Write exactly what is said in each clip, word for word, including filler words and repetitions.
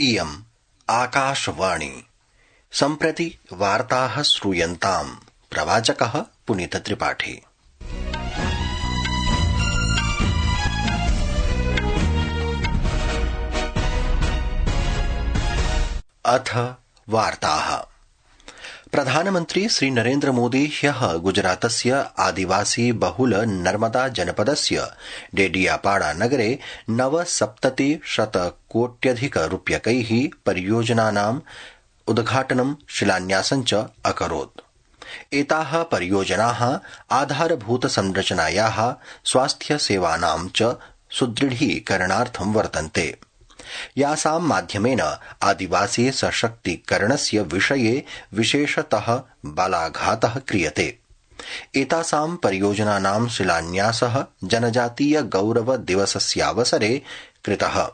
इयम् आकाशवाणी। सम्प्रति वार्ताः श्रूयन्ताम्। प्रवाचकः पुनीत त्रिपाठी। अथ वार्ताः। प्रधानमन्त्री श्री नरेन्द्र मोदी ह्यः गुजरातस्य आदिवासी बहुल नर्मदा जनपदस्य डेडियापाड़ा नगरे नवसप्तति शतकोट्यधिक रूप्यकैः परियोजनानाम् उद्घाटनं शिलान्यासं च अकरोत्। एताः परियोजनाः आधारभूत संरचनायाः स्वास्थ्य सेवानां च सुदृढीकरणार्थं वर्तन्ते, यासां माध्यमेन आदिवासी सशक्तीकरणस्य विषये विशेषतः बलाघातः क्रियते। एतासां परियोजनानां शिलान्यासः जनजातीय गौरव दिवसस्यावसरे कृतः।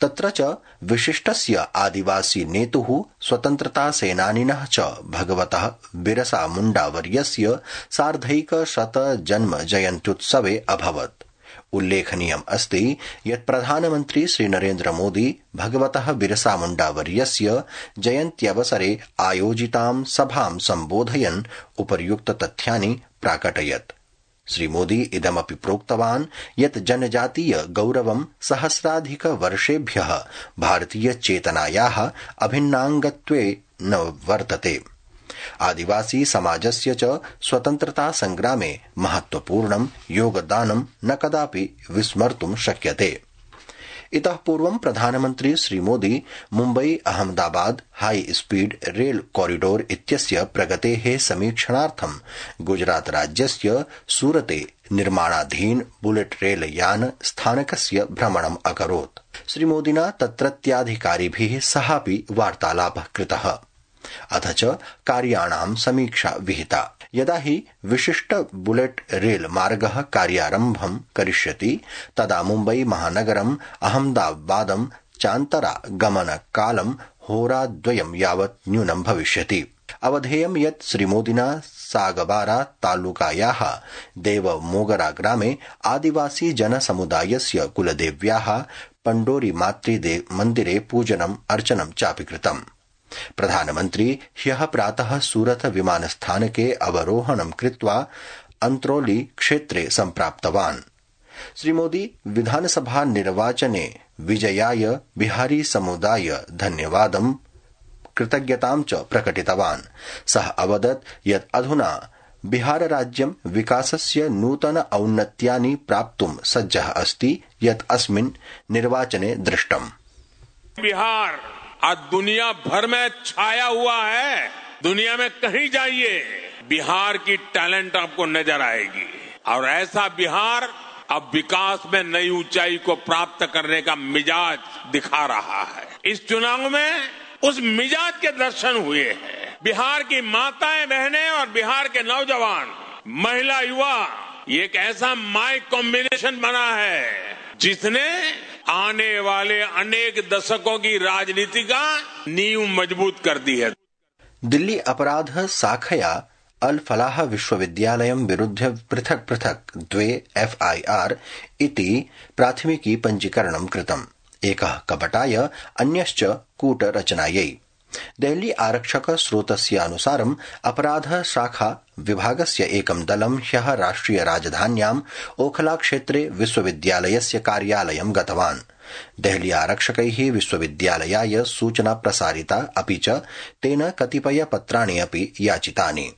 तत्र च विशिष्टस्य आदिवासी नेतुः स्वतन्त्रता सेनानिनः च भगवतः बिरसा मुण्डावर्यस्य सार्धैकशत जन्म जयन्त्युत्सवे अभवत्। उल्लेखनीयम् अस्ति यत् प्रधानमन्त्री श्री नरेन्द्र मोदी भगवतः बिरसा मुण्डावर्यस्य जयन्त्यवसरे आयोजितां सभां सम्बोधयन् उपर्युक्त तथ्यानि प्राकटयत्। श्रीमोदी इदमपि प्रोक्तवान् यत् जनजातीय गौरवं सहस्राधिक वर्षेभ्यः भारतीय चेतनायाः अभिन्नाङ्गत्वेन वर्तते। आदिवासी समाजस्य च स्वतन्त्रता संग्रामे महत्वपूर्णं योगदानं न कदापि विस्मर्तुं शक्यते। इतः पूर्वं प्रधानमन्त्री Shri Modi Mumbai Ahmedabad high speed rail corridor इत्यस्य प्रगतेः समीक्षणार्थं गुजरात राज्यस्य सूरते निर्माणाधीन बुलेट रेल यान स्थानकस्य भ्रमणम् अकरोत्। श्रीमोदिना तत्रत्याधिकारिभिः सहापि वार्तालापः कृतः। अथ च कार्याणां समीक्षा विहिता। यदा हि विशिष्ट बुलेट रेल मार्गः कार्यारम्भं करिष्यति तदा मुम्बई महानगरम् अहमदाबादं चान्तरा गमनकालं होराद्वयं यावत् न्यूनं भविष्यति। अवधेयं यत् श्रीमोदिना सागबारा तालुकायाः देवमोगरा ग्रामे आदिवासी जनसमुदायस्य कुलदेव्याः पण्डोरी मातृ मन्दिरे पूजनम् अर्चनं चापि कृतम्। प्रधानमन्त्री ह्यः प्रातः सूरत विमानस्थानके अवरोहणं कृत्वा अन्त्रोली क्षेत्रे सम्प्राप्तवान्। श्रीमोदी विधानसभा निर्वाचने विजयाय बिहारी समुदाय धन्यवादं कृतज्ञतां च प्रकटितवान्। सः अवदत् यत् अधुना बिहार राज्यं विकासस्य नूतन औन्नत्यानि प्राप्तुं सज्जः अस्ति यत् अस्मिन् निर्वाचने दृष्टम्। बिहार आज दुनिया भर में छाया हुआ है। दुनिया में कहीं जाइए बिहार की टैलेंट आपको नजर आएगी और ऐसा बिहार अब विकास में नई ऊंचाई को प्राप्त करने का मिजाज दिखा रहा है। इस चुनाव में उस मिजाज के दर्शन हुए हैं। बिहार की माताएं बहनें और बिहार के नौजवान महिला युवा ये एक ऐसा माई कॉम्बिनेशन बना है जिसने आने वाले अनेक दशकों की राजनीति का नींव मजबूत कर दी है। दिल्ली अपराध शाखया अल फलाह विश्वविद्यालयं विरुध्य पृथक् पृथक् द्वे एफ आई आर इति प्राथमिकी पञ्जीकरणं कृतम्। एकः कपटाय अन्यश्च कूटरचनायै। देहली आरक्षक स्रोतस्यानुसारम् अपराध शाखा विभागस्य एकं दलं ह्यः राष्ट्रिय राजधान्याम् ओखला क्षेत्रे विश्वविद्यालयस्य कार्यालयं गतवान्। देहली आरक्षकैः विश्वविद्यालयाय सूचना प्रसारिता, अपि च तेन कतिपय पत्राणि अपि याचितानि।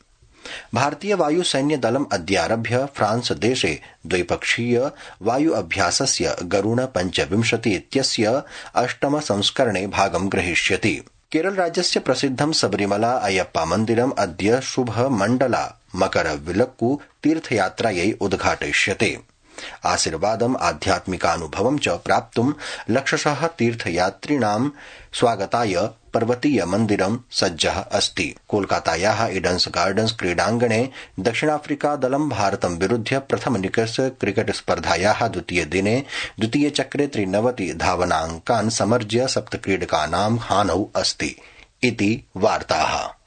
भारतीय वायुसैन्य दलम् अद्यारभ्य फ्रांस देशे द्विपक्षीय वायु अभ्यासस्य गरुण पञ्चविंशति इत्यस्य अष्टम संस्करणे भागं ग्रहीष्यति। केरल राज्यस्य प्रसिद्धं सबरीमला अयप्पा मन्दिरम् अद्य शुभ मण्डला मकरविलक्कु तीर्थयात्रायै उद्घाटयिष्यते। आशीर्वादम् आध्यात्मिकानुभवं च प्राप्तुं लक्षशः तीर्थयात्रिणां स्वागताय पर्वतीय मन्दिरं सज्जः अस्ति। कोलकातायाः ईडन्स गार्डन्स क्रीडाङ्गणे दक्षिणाफ्रिका दलं भारतं विरुध्य प्रथम निकष क्रिकेट स्पर्धायाः द्वितीय दिने द्वितीय चक्रे त्रिनवति धावनाङ्कान् समर्ज्य सप्तक्रीडकानां हानौ अस्ति इति वार्ताः।